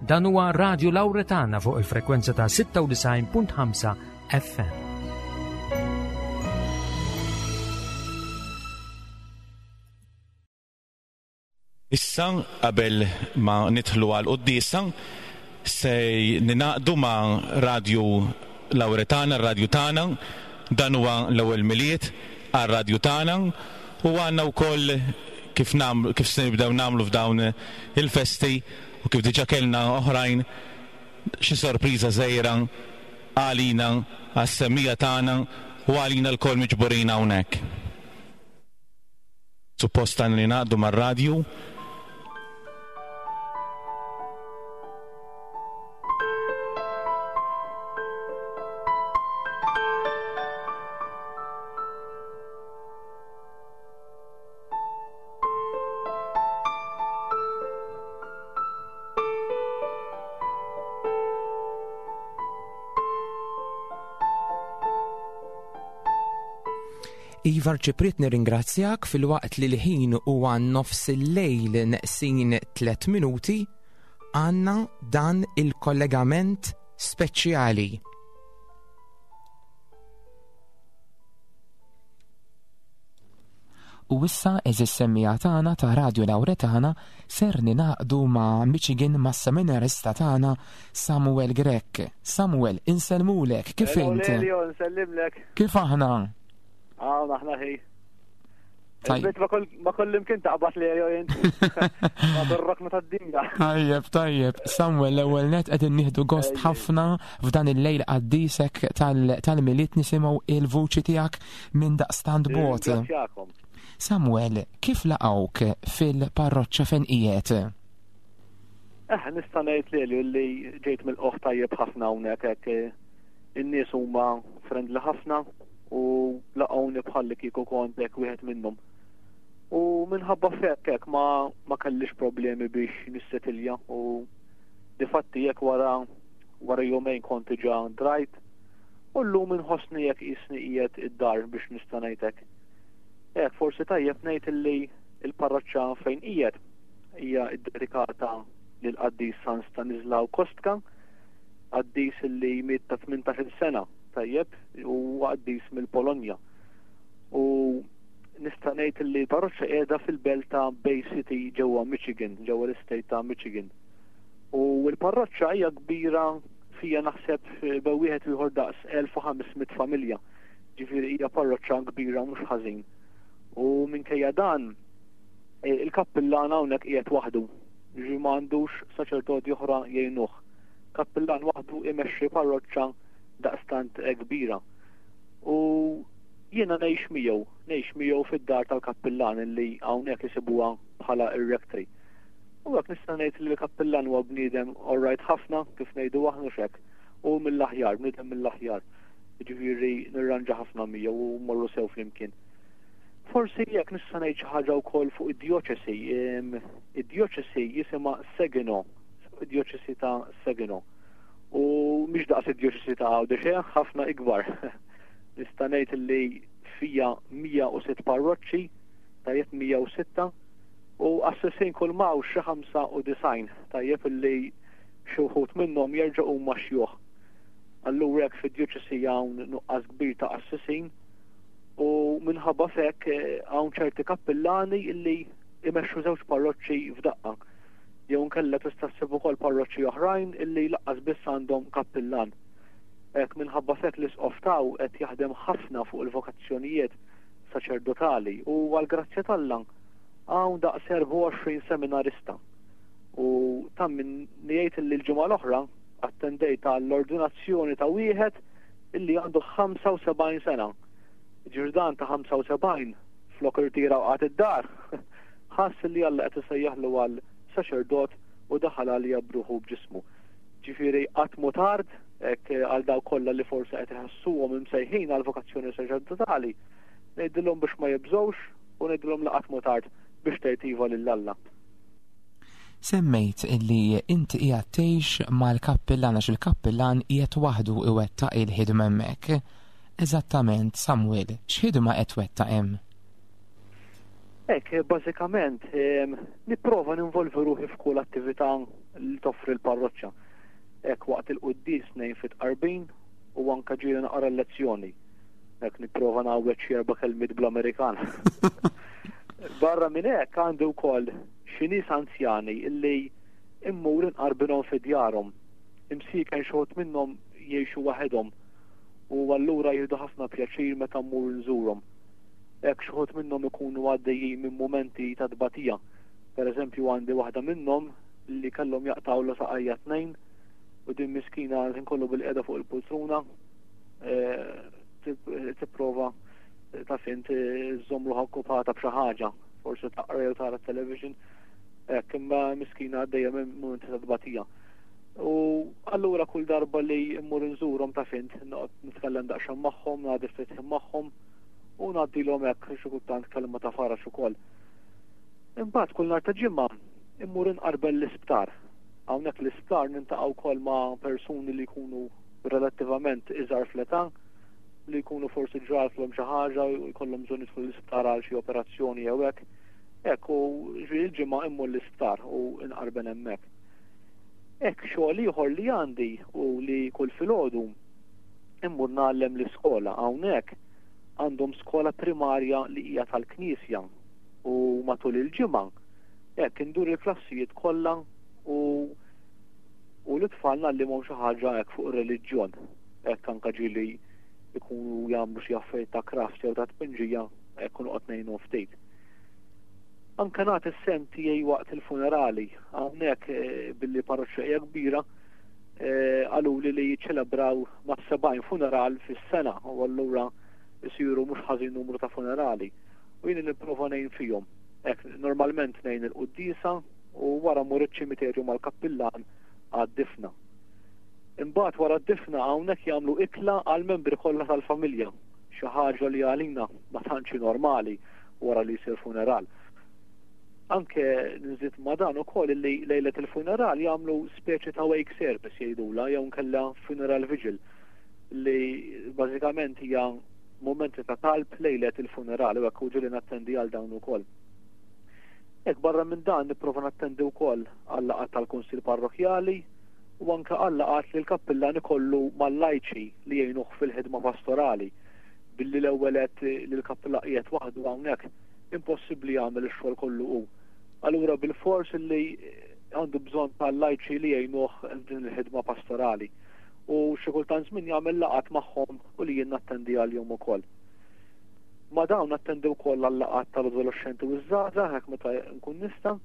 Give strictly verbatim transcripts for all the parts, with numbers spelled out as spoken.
Dan huwa Radio Lauretana fuq il-frekwenza ta' sitta u disgħin punt ħamsa F M. Issa, qabel ma nidħlu għal quddiesa, se ningħaqdu ma' Radio Lauretana, radio tagħna. Dan huwa l-ewwel Milied għal radio tagħna u għandna wkoll, kif nagħmlu, kif se nibdew nagħmlu f'dawn il-festi u kif diġà kellna oħrajn, xi sorpriża żgħira għalina, għas-semmiegħa tagħna u għalina lkoll miġburin hawnhekk. Suppost għandna ningħaqdu mar-radju. Iva Arċipriet, nirringrazzjak. Filwaqt li l-ħin huwa nofs il-lejl neqsin tliet minuti, għandna dan il-kollegament speċjali. U issa, għeżież semmiegħa tagħna ta' Radio Lauretana, ser ningħaqdu ma' Michigan, ma' seminarista tagħna Samuel Grech. Samuel, insellmulek, kif int? Lelio, nsellimlek. Kif aħna? Ah, aħna ħi. Tajjeb. Il-bit ma kull ma kullimkien taqbad li jint. Ma bil-rokna tad-dinja. Tajjeb, tajjeb. Samuel, l-ewwel net qegħdin nieħdu gost Ejja. ħafna f'dan il-lejl qaddisek tal- tal-Milied nisimgħu il-vuċi tiegħek minn daqstant bogħod. Ringrazzjakom. Samuel, kif laqgħuk fil-parroċċa fejn qiegħed? Eh, nista' ngħid lili li ġejt milqugħ tajjeb ħafna hawnhekk hekk, eh, in-nies huma friendly ħafna u laqgħuni bħalli kieku kont hekk wieħed minnhom. U minħabba f'hekk hekk ma ma kellix problemi biex nissetilja u difatti jekk wara wara jumejn kont diġà drajt u llum inħossni jekk qisni qiegħed id-dar, biex nista' ngħid hekk. Hekk forsi tajjeb ngħid illi il-parroċċa fejn qiegħed hija ddedikata lil qaddis San Stanislaw Kostka, qaddis li miet ta' tmintax-il sena, tajjeb, u qaddis mill-Polonja. U nista' ngħid li l-parroċċa qiegħda fil-belt ta' Bay City ġewwa Michigan, ġewwa l-istate ta' Michigan. U l-parroċċa hija kbira, fija naħseb bejn wieħed u ieħor daqs elf u ħames mitt familja. Ġifieri hija parroċċa kbira mhux ħażin. U minkejja dan, eh, il-kappillan hawnhekk qiegħed waħdu. Ġi ma għandux saċerdoti oħra jgħinuh. Kappillan waħdu imexxi parroċċa daqstant eh, kbira. U jiena ngħix miegħu, ngħix miegħu fid-dar tal-kappillan li hawnhekk isibuha bħala ir-rectory. U hekk nista' ngħid li l-kappillan huwa bniedem alright ħafna, kif ngħidu aħna xek, u mill-aħjar, bniedem mill-aħjar. Ġifieri nirranġa ħafna miegħu u mmorru sew flimkien. Forsi jekk nista' ngħid xi ħaġa wkoll fuq id-djoċesi. Em, Id-djoċesi jisimha Saginaw, id-djoċesi ta' Saginaw. U mhix daqs id-djoċesi ta' Għawdex, eh, ħafna ikbar. Nista' ngħid li fija mija u sitt parroċċi, tajjeb, mija u sitta, u qassisin kull m'hawn xi ħamsa u disgħin, tajjeb, li xi wħud minnhom jerġgħu huma xjuħ. Allura hekk fid-djoċesi hawn nuqqas kbir ta' qassisin u minħabba f'hekk eh, hawn ċerti kappillani illi imexxu żewġ parroċċi f'daqqa. Jew nkella tista' ssib ukoll parroċċi oħrajn illi lanqas biss għandhom kappillan. Hekk minħabba f'hekk l-isqof taw qed jaħdem ħafna fuq il-vokazzjonijiet saċerdotali u għal grazzja t'Alla hawn daqs erbgħa u għoxrin seminarista. U ta' min ngħid illi l-ġimgħa l-oħra attendejt għall-ordinazzjoni ta' wieħed illi għandu ħamsa u sebgħin sena. Ġirdan ta' ħamsa u sebgħin flok irtira u qagħad id-dar, ħass li Alla qed isejjaħlu għal saċerdot u daħal għalija b'ruħu b'ġismu. Ġifieri qatt mhu tard hekk għal daw kollha li forsi qed iħassuhom imsejħin għal vokazzjoni saċerdotali. Ngħidilhom biex ma jibżgħux u ngħidilhom li qatt mhu tard biex tgħid iva lil Alla. Semmejt illi inti qiegħed tgħix mal-kappillan għax il-kappillan qiegħed waħdu iwettaq il-ħidma hemmhekk. Eżattament, Samuel, x'ħidma qed twettaq hemm? Hekk, bażikament, nipprova ninvolvi ruħi f'kull attività li toffri l-parroċċa. Hekk waqt il-quddies ngħin fit-tqarbin u anke ġieli naqra l-lezzjoni. Hekk nipprova ngħawweġ xi erba' kelmiet bl-Amerikan. Barra minn hekk għandi wkoll xi nies anzjani illi immur inqarbinhom fi djarhom. Imsieken xi wħud minnhom jgħixu waħedhom u allura jieħdu ħafna pjaċir meta mmur nżurhom. Hekk xi wħud minnhom ikunu għaddejjin minn mumenti ta' tbatija. Per eżempju għandi waħda minnhom li kellhom jaqtgħulha saqajja tnejn u din miskina kollu bil-qiegħda fuq il-poltruna tipprova ta' fint żżomm ruħha okkupata b'xi ħaġa, forsi taqra jew tara television, hekk imma miskina għaddejja minn mumenti ta' tbatija. U allura kull darba li mmur nżurhom ta' fint noqgħod nitkellem daqsxejn magħhom, ngħaddi ftit ħin magħhom u ngħaddilhom hekk xi kultant kelma ta' faraġ ukoll. Imbagħad kull nhar ta' ġimgħa immur inqarbel l-isptar. Hawnhekk l-isptar niltaqa' wkoll ma' persuni li jkunu relattivament iżgħar fl-età, li jkunu forsi ġratlhom xi ħaġa u jkollhom bżonn jidħlu l-isptar għal xi operazzjoni jew hekk. Hekk u ġifieri l-ġimgħa immur l-isptar u nqarben hemmhekk. Hekk xogħol ieħor li għandi u li kull filgħodu immur ngħallem l-iskola. Hawnhekk għandhom skola primarja li hija tal-Knisja u matul il-ġimgħa hekk indur il-klassijiet kollha u u l-tfal ngħallimhom xi ħaġa hekk fuq ir-reliġjon. Hekk anke ġieli ikunu jagħmlu xi affarijiet ta' craft jew ta' tpinġija hekk noqgħod ngħinhom ftit. Anke nagħti s-sehem tiegħi waqt il-funerali. Hawnhekk billi parroċċa hija kbira, qaluli li jiċċelebraw ma' sebgħin funeral fis-sena u allura jsiru mhux ħażin numru ta' funerali. U jien nipprova ngħin fihom. Hekk normalment ngħin il-quddiesa u wara mmur iċ-ċimiterju mal-kappillan għad-difna. Imbagħad wara d-difna hawnhekk jagħmlu ikla għall-membri kollha tal-familja, xi ħaġa li għalina ma tantx normali wara li jsir funeral. Anke nżid ma' dan ukoll li lejlet il-funeral jagħmlu speċi ta' wake service jgħidula jew nkella funeral vigil li bażikament hija momenti ta' talb lejlet il-funeral u hekk u ġieli nattendi għal dawn ukoll. Hekk barra minn dan nipprova nattendi wkoll għal laqgħat tal-Kunsill Parrokkjali u anke għal laqgħat li l-kappillan ikollu mal-lajċi li jgħinuh fil-ħidma pastorali. Billi l-ewwel qed li l-kappillan qiegħed waħdu hawnhekk impossibbli jagħmel ix-xogħol kollu hu. Allura bil-fors li għandu bżonn tal-lajċi li jgħinuh din il-ħidma pastorali. U xi kultant żmien jagħmel laqgħat magħhom u li jien nattendi għalihom ukoll. Ma dawn nattendi wkoll għal laqgħat tal-adolescenti u ż-żgħażagħ hekk meta nkun nista',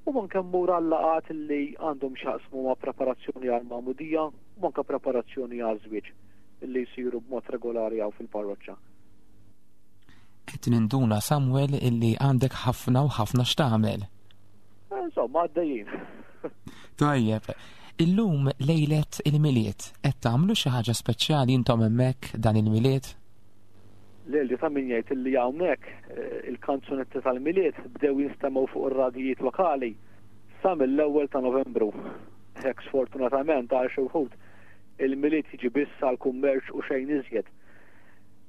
u anke mmur għal laqgħat li għandhom x'jaqsmu ma' preparazzjoni għal magħmudija u anke preparazzjoni għal żwieġ li jsiru b'mod regolari hawn fil-parroċċa. Qed ninduna, Samuel, illi għandek ħafna u ħafna x'tagħmel. Insomma, għaddejjin. Tajjeb, illum lejlet il-Milied, qed tagħmlu xi ħaġa speċjali intom hemmhekk dan il-Milied? Lelju, ta' min jgħid illi hawnhekk il-kanzunetti tal-Milied bdew jinstemgħu fuq ir-radijiet lokali sa mill-ewwel ta' Novembru. Hekk sfortunatament għal xi wħud il-Milied jiġi biss għal kummerċ u xejn iżjed.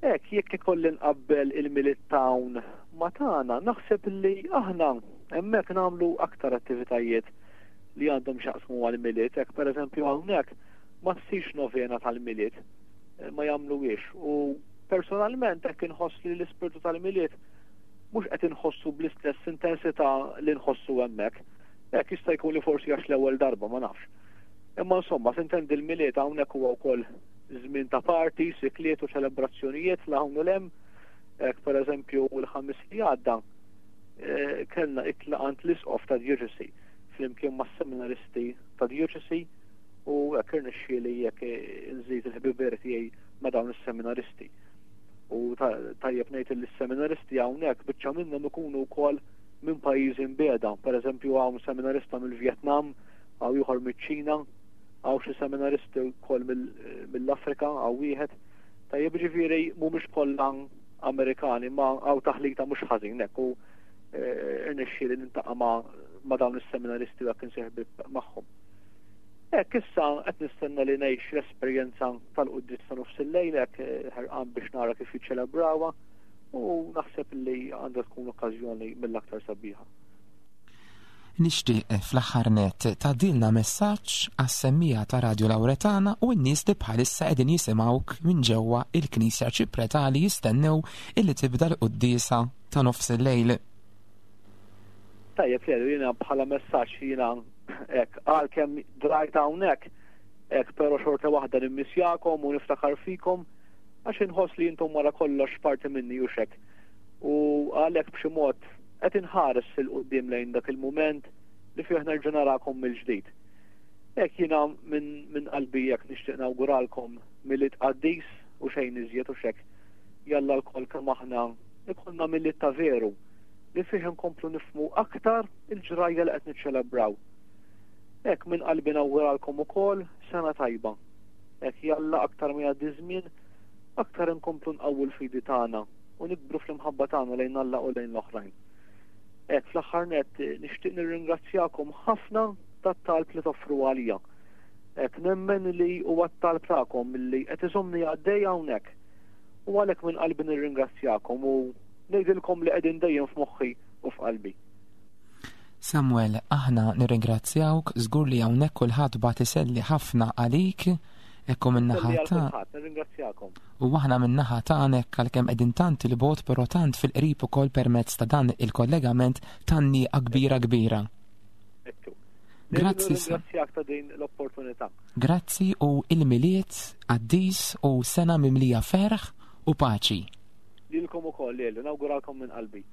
Hekk jekk ikolli nqabbel il-Milied hawn ma' tagħna, naħseb li aħna hemmhekk nagħmlu aktar attivitajiet li għandhom x'jaqsmu għal-Milied. Hekk pereżempju hawnhekk ma ssirx novena tal-Milied, ma jagħmluhiex. U personalment hekk inħoss li l-ispirtu tal-Milied mhux qed inħossu bl-istess intensità li nħossu hemmhekk. Hekk jista' jkun li forsi għax l-ewwel darba, ma nafx. Imma insomma, sintendi l-Milied hawnhekk huwa wkoll żmien ta' party, sikliet u ċelebrazzjonijiet la hawn u lem. Hekk pereżempju l-Ħamis li għadda kellna ikla għand l-isqof ta' dioċesi flimkien mas-seminaristi ta' dioċesi u hekk irnexxieli jekk nżid il-ħbiber tiegħi ma' dawn is-seminaristi. U tajjeb ngħid li s-seminaristi hawnhekk biċċa minnhom ikunu wkoll minn pajjiżi mbiegħda. Pereżempju hawn seminarista mill-Vjetnam, hawn ieħor miċ-Ċina, hawn xi seminaristi wkoll mill-Afrika, hawn wieħed. Tajjeb ġifieri mhumiex kollha Amerikani, ma hawn taħlita mhux ħażin hekk u irnexxieli nintaqa' ma' dawn is-seminaristi u hekk insieħ magħhom. Hekk issa qed nistenna li ngħix l-esperjenza tal-quddies ta' nofs il-lejl, hekk ħerqan biex nara kif jiċċelebrawha U naħseb li għandha tkun okkażjoni mill-aktar sabiħa. Nixtieq fl-aħħar nett tgħaddilna messaġġ għas-semmiegħa ta' Radio Lauretana u n-nies li bħalissa qegħdin jisimgħuk minn ġewwa il-Knisja Arċipretali jistennew illi tibda l-quddiesa ta' nofs il-lejl. Tajjeb, Lelu, jiena bħala messaġġ jiena hekk għalkemm drajt hawnhekk hekk, però xorta waħda nimmissjakom u niftakar fikom għax inħoss li intom wara kollox parti minni u hekk. U għalhekk b'xi mod qed inħares 'il quddiem lejn dak il-mument li fih nerġa' narakom mill-ġdid. Hekk jiena minn min qalbi hekk nixtieq nawguralkom Milied qaddis u xejn iżjed u hekk. Jalla lkoll kemm aħna ikollna Milied ta' veru li fih nkomplu nifhmu aktar il-ġrajja li qed niċċelebraw. Hekk minn qalbi nawguralkom ukoll sena tajba. Hekk jalla aktar ma jgħaddi żmien, aktar nkomplu nqawwu l-fidi tagħna u nikbru fl-imħabba tagħna lejn Alla u lejn l-oħrajn. Hekk fl-aħħar nett nixtieq nirringrazzjakom ħafna tat-talb li toffru għalija. Hekk nemmen li huwa t-talb tagħkom li qed iżommni għaddej hawnhekk. U għalhekk minn qalbi nirringrazzjakom u ngħidilkom li qegħdin dejjem f'moħħi u f'qalbi. Samuel, aħna nirringrazzjawk, żgur li hawnhekk kulħadd bagħat iselli ħafna għalik, ekku min-naħa Selli għal ta' kulħadd, nirringrazzjakom. U aħna min-naħa tagħna għalkemm qegħdin tant 'il bogħod, però tant fil-qrib ukoll permezz ta' dan il-kollegament tgħanniqa kbira kbira. Ekku. Grazzi, Sa- Nirringrazzjak ta' din l-opportunità. Grazzi u il-Milied qaddis u sena mimlija ferħ u paċi. Lilkom ukoll, Lelu, nawguralkom minn qalbi.